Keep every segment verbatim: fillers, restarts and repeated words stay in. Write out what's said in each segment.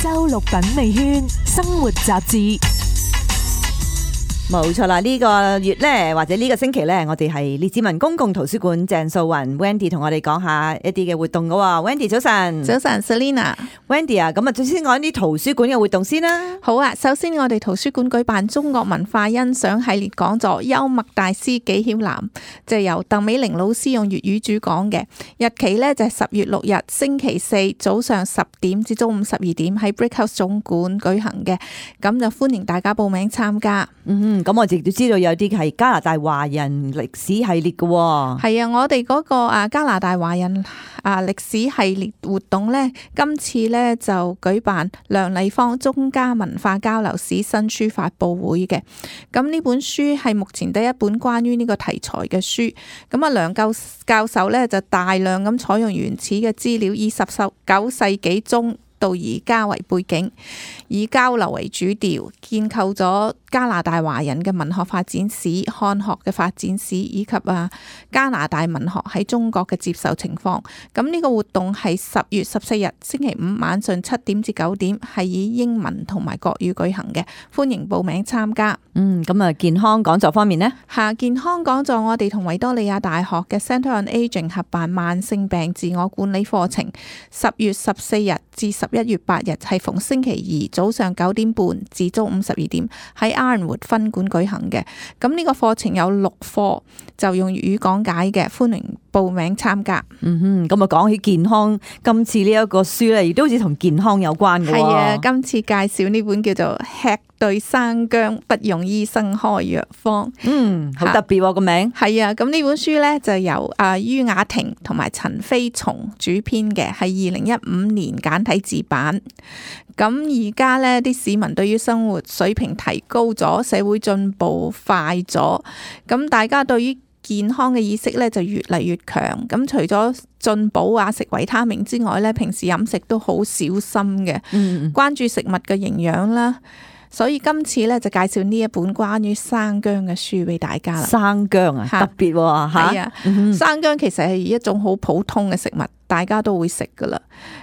周六品味圈生活雜誌。冇錯啦，呢、這個月咧，或者呢個星期咧，我哋係列治文公共圖書館鄭素雲 Wendy 同我哋講下一啲嘅活動噶。Wendy 早晨，早晨 Selina。Wendy 啊，咁啊，最先講啲圖書館嘅活動先啦。好啊，首先我哋圖書館舉辦中國文化欣賞系列講座，幽默大師紀曉嵐，就係由鄧美玲老師用粵語主講嘅。日期呢就係十月六日星期四早上十點至中午十二點喺 Brickhouse 總館舉行嘅，咁就歡迎大家報名參加。嗯，咁我亦都知道有啲係加拿大華人歷史系列嘅。係啊，我哋嗰個啊加拿大華人啊歷史系列活動呢，今次呢就舉辦梁麗芳中加文化交流史新書發佈會嘅。咁呢本書係目前第一本關於呢個題材嘅書。咁啊梁教教授呢就大量咁採用原始嘅資料，以十九世紀中到而家為背景，以交流為主調，建構咗加拿大華人嘅文學發展史、漢學嘅發展史，以及啊加拿大文學喺中國嘅接受情況。咁呢個活動係十月十四日星期五晚上七點至九點，係以英文同埋國語舉行嘅，歡迎報名參加。嗯，咁啊健康講座方面呢？下健康講座我哋同維多利亞大學嘅 Centre on Aging 合辦慢性病自我管理課程，十月十四日至十一月八日係逢星期二早上九點半至中午十二點喺 Ironwood 分館舉行嘅。咁呢個課程有六課，就用粵語講解嘅，歡迎報名參加。嗯哼，咁啊講起健康，今次呢一個書咧，亦都好似同健康有關嘅。係啊，今次介紹呢本叫做吃對生薑不用醫生開藥方。嗯，好特別個名。係啊，咁呢本書咧就由啊于雅婷同埋陳飛松主編嘅，係二零一五年簡體字版。咁而家咧啲市民對於生活水平提高咗，社會進步快咗，咁大家對於健康嘅意識咧就越嚟越強。咁除咗進補啊食維他命之外咧，平時飲食都好小心嘅，嗯、關注食物嘅營養啦。所以今次咧就介紹呢一本關於生薑嘅書俾大家啦。生薑啊，特別喎嚇。係啊，生薑其實係一種好普通嘅食物，大家都會食噶啦。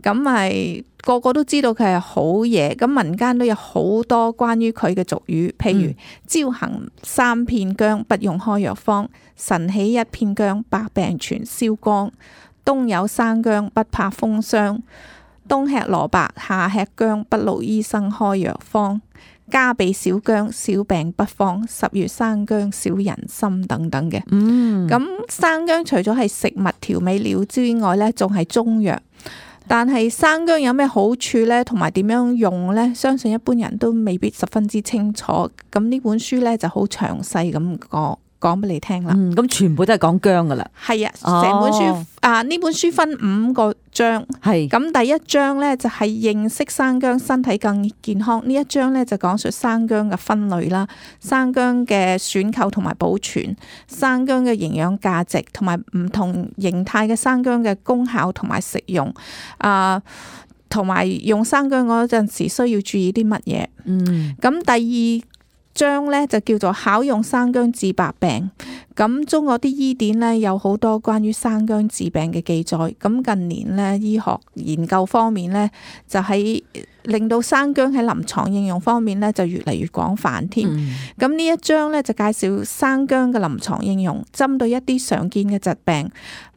咁係個個都知道佢係好嘢。咁民間都有好多關於佢嘅俗語，譬如朝行三片薑不用開藥方，晨起一片薑百病全消光，冬有生薑不怕風霜，冬吃蘿蔔夏吃薑不勞醫生開藥方，家備小薑小病不慌，十月生薑少人心等等嘅。嗯，咁生薑除咗係食物調味料之外呢，仲係中藥。但係生薑有咩好處呢？同埋點樣用呢？相信一般人都未必十分之清楚。咁呢本書呢就好詳細咁講講俾你聽啦。嗯，咁全部都係講薑噶啦。係啊，成本書、哦、啊呢本書分五個章。係咁，第一章呢就係認識生薑，身體更健康。呢一章呢就講述生薑嘅分類啦，生薑嘅選購同埋保存，生薑嘅營養價值，同埋唔同形態嘅生薑嘅功效同埋食用啊，同埋用生薑嗰陣時需要注意啲乜嘢。嗯，咁第二章咧就叫做巧用生薑治百病。咁中國啲醫典咧有好多關於生薑治病嘅記載。咁近年咧醫學研究方面咧就喺令到生薑喺臨床應用方面咧就越嚟越廣泛添。咁呢、嗯、一章咧就介紹生薑嘅臨床應用，針對一啲常見嘅疾病，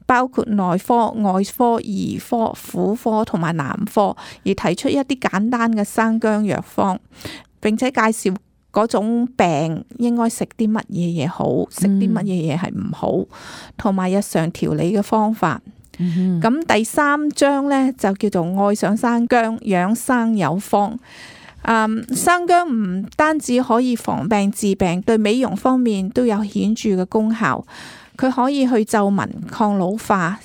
包括內科、外科、兒科、婦科同埋男科，而提出一啲簡單嘅生薑藥方，並且介紹嗰種病應該食啲乜嘢嘢好，食啲乜嘢嘢係唔好，同埋日常調理嘅方法。咁、嗯、第三章呢，就叫做愛上生薑，養生有方。嗯，生薑唔單止可以防病治病，對美容方面都有顯著嘅功效。佢可以去皺紋、抗老化、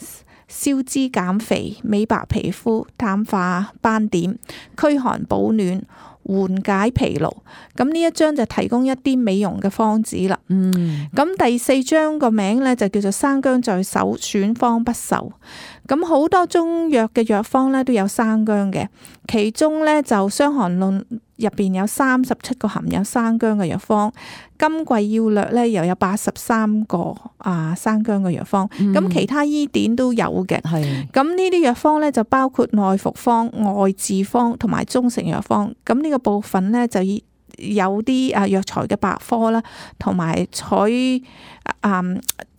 消脂減肥、美白皮膚、淡化斑點、驅寒保暖、緩解疲勞。咁呢一章就提供一啲美容嘅方子啦。嗯，咁第四章個名咧就叫做生薑在手，選方不愁。咁好多中藥嘅藥方咧都有生薑嘅，其中咧就《傷寒論》入邊有三十七個含有生薑嘅藥方，金匱要略咧又有八十三個啊生薑嘅藥方，咁、嗯、其他醫典都有嘅。係咁呢啲藥方咧就包括內服方、外治方同埋中成藥方。咁呢個部分咧就以有啲啊藥材嘅百科啦，同埋採啊。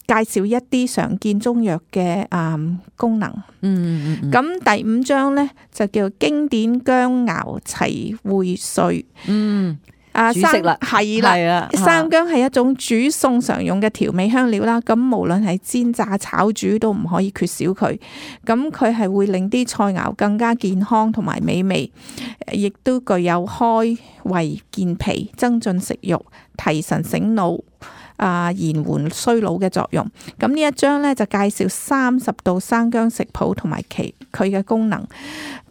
介紹一啲常見中藥嘅誒功能。嗯嗯咁、嗯、第五章咧就叫經典薑熬齊匯萃。嗯。啊，煮食啦，係啦，生薑係一種煮餸常用嘅調味香料啦。咁無論係煎炸炒煮都唔可以缺少佢。咁佢係會令啲菜肴更加健康同埋美味，亦都具有開胃健脾、增進食慾、提神醒腦、啊延緩衰老嘅作用。咁呢一章咧就介紹三十道生薑食譜同埋其佢嘅功能，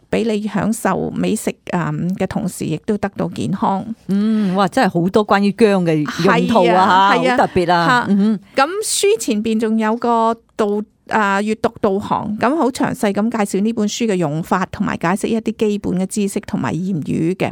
俾你享受美食誒嘅同時，亦都得到健康。嗯，哇，真係好多關於薑嘅用途啊，吓，好特別啊。咁書前邊仲有個導啊閱讀導航，咁好詳細咁介紹呢本書嘅用法，同埋解釋一啲基本嘅知識同埋言語嘅。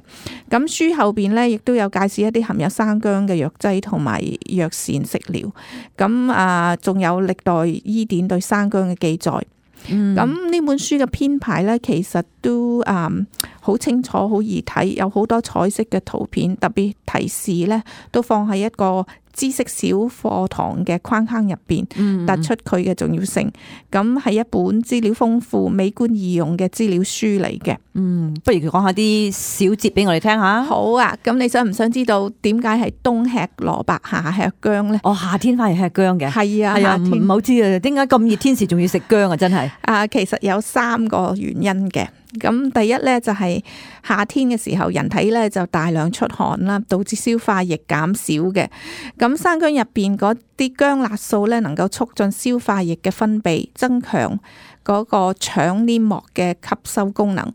咁書後邊咧，亦都有介紹一啲含有生薑嘅藥劑同埋藥膳食療。咁啊，仲有歷代醫典對生薑嘅記載。咁呢、嗯、本書嘅編排咧，其實都誒好、嗯、清楚、好易睇，有好多彩色嘅圖片，特別提示咧都放喺一個知識小課堂嘅框框入邊，突出佢嘅重要性。咁係一本資料豐富、美觀易用嘅資料書嚟嘅。嗯，不如講下啲小節俾我哋聽下。好啊，咁你想唔想知道點解係冬吃蘿蔔夏吃薑咧？哦，夏天反而吃薑嘅。係啊，係啊，唔好知啊，點解咁熱天時仲要食薑啊？真係。啊，其實有三個原因嘅。咁第一咧就係夏天嘅時候，人體咧就大量出汗啦，導致消化液減少嘅。咁生薑入邊嗰啲薑辣素咧，能夠促進消化液嘅分泌，增強嗰個腸黏膜嘅吸收功能。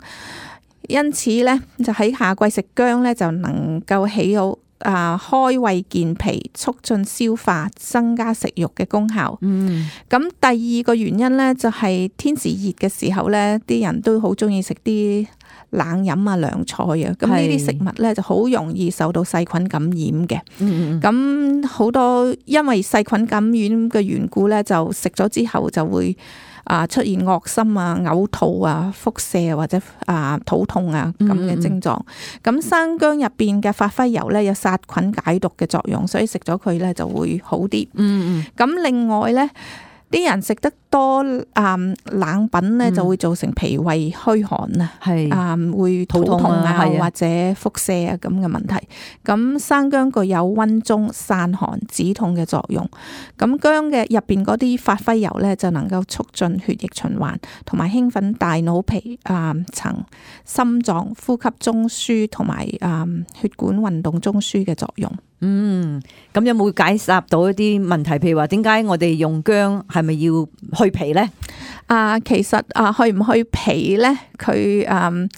因此咧，就喺夏季食薑咧，就能夠起到啊開胃健脾、促進消化、增加食慾嘅功效。嗯，咁第二個原因咧，就係天時熱嘅時候咧，啲人都好中意食啲冷飲啊、涼菜啊。咁呢啲食物咧就好容易受到細菌感染嘅。嗯嗯。咁好多因為細菌感染嘅緣故咧，就食咗之後就會啊出現噁心啊、嘔吐啊、腹瀉或者啊肚痛啊咁嘅症狀。咁生薑入邊嘅發揮油咧有殺菌解毒嘅作用，所以食咗佢咧就會好啲。嗯嗯。咁另外咧，啲人食得多啊冷品咧，就會造成脾胃虛寒啊，係啊會肚痛啊或者腹瀉啊咁嘅問題。咁生薑具有溫中散寒止痛嘅作用。咁薑嘅入邊嗰啲發揮油咧，就能夠促進血液循環，同埋興奮大腦皮啊層、心臟、呼吸中樞同埋啊血管運動中樞嘅作用。嗯，咁有冇解答到一啲問題？譬如話點解我哋用薑係咪要去皮咧？啊，其實啊，去唔去皮咧？佢嗯。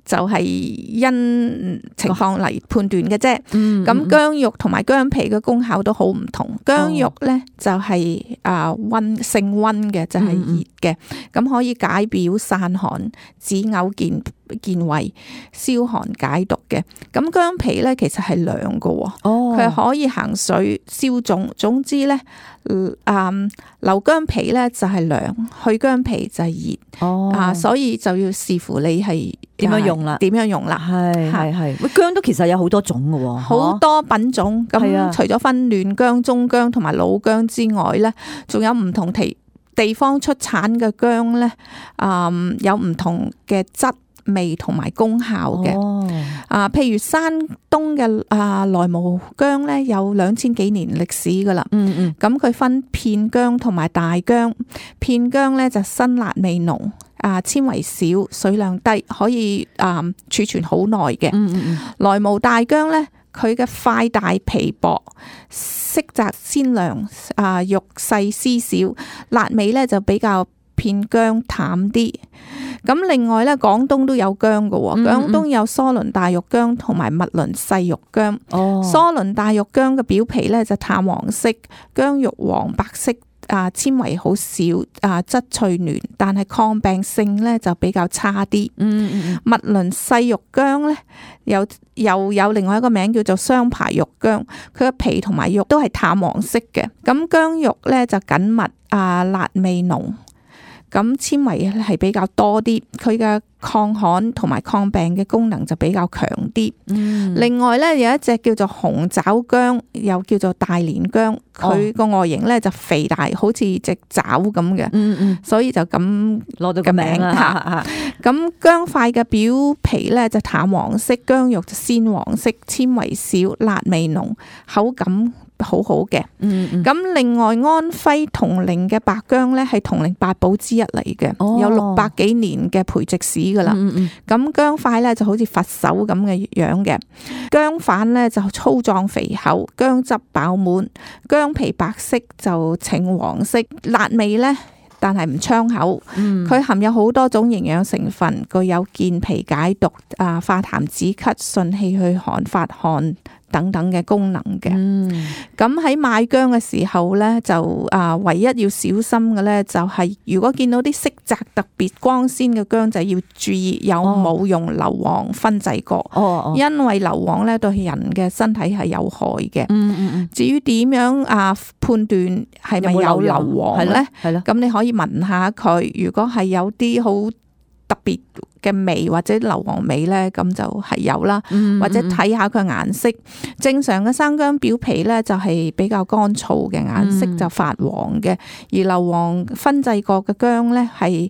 就係因情況嚟判斷嘅啫。咁薑肉同埋薑皮嘅功效都好唔同。薑肉咧就係啊溫性溫嘅，就係熱嘅，咁可以解表散寒、止嘔健健胃、消寒解毒嘅。咁薑皮咧其實係涼嘅，佢係可以行水消腫。總之咧，啊留薑皮咧就係涼，去薑皮就係熱。啊，所以就要視乎你係點樣用啦，點樣用啦，係係係。喂，薑都其實有好多種嘅，好多品種。咁除咗分嫩薑、中薑同埋老薑之外咧，仲有唔同地地方出產嘅薑咧，啊、嗯，有唔同嘅質味同埋功效嘅。哦、啊，譬如山東嘅啊萊毛薑咧，有兩千幾年歷史噶啦。嗯嗯。咁佢分片薑同埋大薑，片薑咧就辛辣味濃。啊，纖維少，水量低，可以啊儲存好耐嘅。嗯嗯嗯。萊毛大薑咧，佢嘅塊大皮薄，色澤鮮亮，啊肉細絲少，辣味咧就比較片薑淡啲。咁另外咧，廣東都有薑嘅喎，廣東有疏倫大玉薑同埋密倫細玉薑。哦。疏倫大玉薑嘅表皮咧就淡黃色，薑肉黃白色。啊纖維好少啊，質脆嫩，但係抗病性咧就比較差啲。嗯嗯密倫細肉薑咧，有又有另外一個名叫做雙排肉薑，佢嘅皮同埋肉都係淡黃色嘅。咁薑肉咧就緊密啊，辣味濃。咁纖維係比較多啲，佢嘅抗旱同埋抗病嘅功能就比較強啲。嗯、另外咧有一隻叫做紅爪薑，又叫做大連薑，佢個外形咧就肥大，好似隻爪咁嘅。嗯嗯，所以就咁攞到個名啦。咁薑塊嘅表皮咧就淡黃色，薑肉就鮮黃色，纖維少，辣味濃，口感好好嘅。咁、嗯嗯、另外安徽銅陵嘅白薑咧係銅陵八寶之一嚟嘅，哦、有六百幾年嘅培植史噶啦。咁、嗯嗯、薑塊咧就好似佛手咁嘅樣嘅，薑瓣咧就粗壯肥厚，薑汁飽滿，薑皮白色就呈黃色，辣味咧但係唔傷口。佢、嗯、含有好多種營養成分，具有健脾解毒、啊化痰止咳、順氣去寒、發汗等等嘅功能嘅。咁喺、嗯、買薑嘅時候咧，就啊唯一要小心嘅咧，就係如果見到啲色澤特別光鮮嘅薑，就要注意有冇用硫磺燻製過。哦、因為硫磺咧對人嘅身體係有害嘅。嗯嗯嗯、至於點樣啊判斷係咪有硫磺咧？係咯，咁你可以聞下佢，如果係有啲好特別嘅味或者硫磺味咧，咁就係有啦。嗯嗯、或者睇下佢顏色，正常嘅生薑表皮咧就係比較乾燥嘅，顏色就發黃嘅。嗯、而硫磺燻製過嘅薑咧係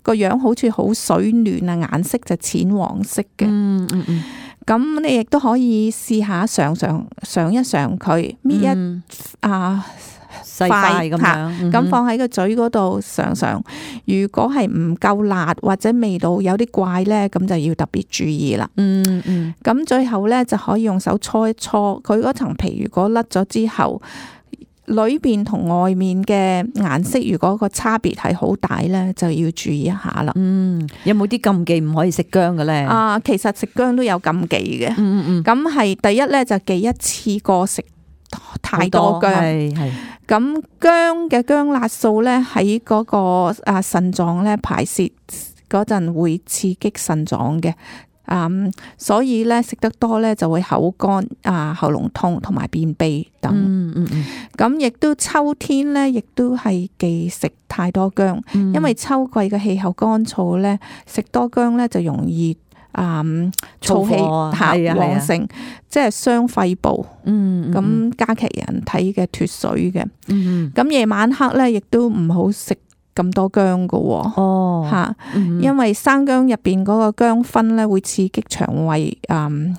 個樣好似好水嫩啊，顏色就淺黃色嘅。嗯嗯嗯。咁你亦都可以試下嘗嘗嘗一嘗佢，搣一、嗯、啊。細塊咁樣，咁放喺個嘴嗰度嘗嘗。如果係唔夠辣或者味道有啲怪咧，咁就要特別注意啦。嗯嗯。咁最後咧就可以用手搓一搓佢嗰層皮，如果甩咗之後，裏邊同外面嘅顏色如果個差別係好大咧，就要注意一下啦。嗯，有冇啲禁忌唔可以食薑嘅咧？啊，其實食薑都有禁忌嘅。嗯嗯嗯。咁係第一咧就忌一次過食太多薑。係係。咁薑嘅薑辣素咧喺嗰個啊腎臟咧排泄嗰陣會刺激腎臟嘅。嗯，所以咧食得多咧就會口乾啊、喉嚨痛同埋便秘等。嗯嗯嗯。咁亦都秋天咧，亦都係忌食太多薑，嗯、因為秋季嘅氣候乾燥咧，食多薑咧就容易啊燥氣吓旺盛，即係傷肺部。嗯。咁、嗯、加劇人體嘅脫水嘅。嗯。咁夜晚黑咧，亦都唔好食咁多薑噶喎，吓，因為生薑入邊嗰個薑酚咧會刺激腸胃誒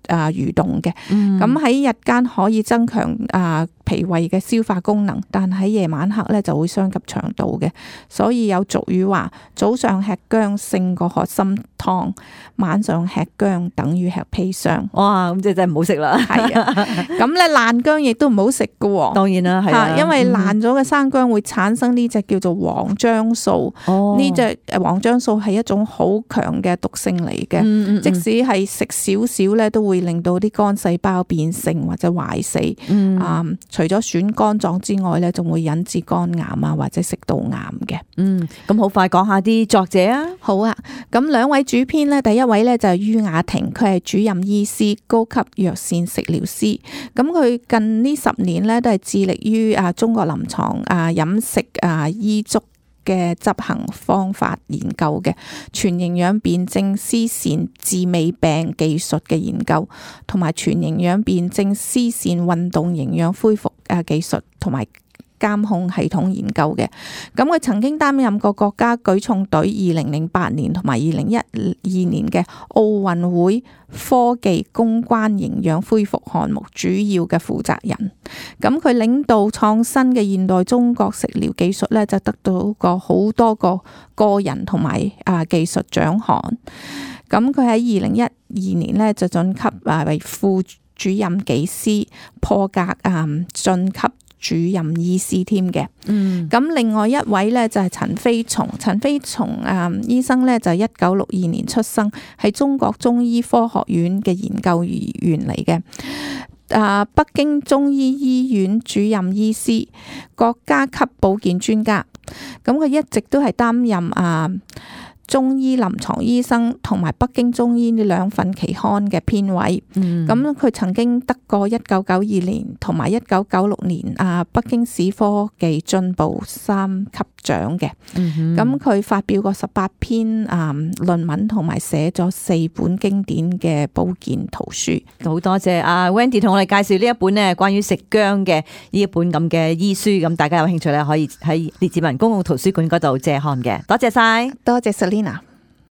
誒蠕動嘅，咁喺、嗯、日間可以增強誒脾胃嘅消化功能，但喺夜晚黑咧就會傷及腸道嘅，所以有俗語話早上吃薑勝過喝參湯，晚上吃薑等於吃砒霜。哇，咁即係真係唔好食啦。係啊，咁咧爛薑亦都唔好食噶。當然啦，係啊，因為爛咗嘅生薑會產生呢隻叫做黃漿素。哦，呢隻黃漿素係一種好強嘅毒性嚟嘅，嗯嗯嗯，即使係食少少咧，都會令到啲肝細胞變性或者壞死。嗯，啊，除咗損肝臟之外咧，仲會引致肝癌啊或者食道癌嘅。嗯，咁好快講下啲作者啊。好啊，咁兩位主編咧，第一位咧就係于雅婷，佢係主任醫師、高級藥膳食療師。咁佢近呢十年咧都係致力於啊中國臨床啊飲食啊醫囑嘅執行方法研究嘅，全營養辨證施膳治未病技術嘅研究，同埋全營養辨證施膳運動營養恢復誒技術同埋監控系統研究嘅。咁佢曾經擔任過國家舉重隊二零零八年同埋二零一二年嘅奧運會科技公關營養恢復項目主要嘅負責人。咁佢領導創新嘅現代中國食療技術咧，就得到過好多個個人同埋啊技術獎項。咁佢喺二零一二年咧就晉級啊為副主任技師，破格啊晉級主任醫師添嘅。嗯，咁另外一位咧就係陳飛松，陳飛松啊醫生咧就一九六二年出生，係中國中醫科學院嘅研究員嚟嘅。啊北京中醫醫院主任醫師，國家級保健專家。咁佢一直都係擔任啊中醫臨床醫生同埋北京中醫呢兩份期刊嘅編委。咁佢、嗯、曾經得過一九九二年同埋一九九六年啊北京市科技進步三級獎嘅。咁佢、嗯、發表過十八篇啊論文，同埋寫咗四本經典嘅保健圖書。好多謝阿 Wendy 同我哋介紹呢一本咧關於食薑嘅呢一本咁嘅醫書，咁大家有興趣咧可以喺列治文公共圖書館嗰度借看嘅。多謝晒，多謝 Selina。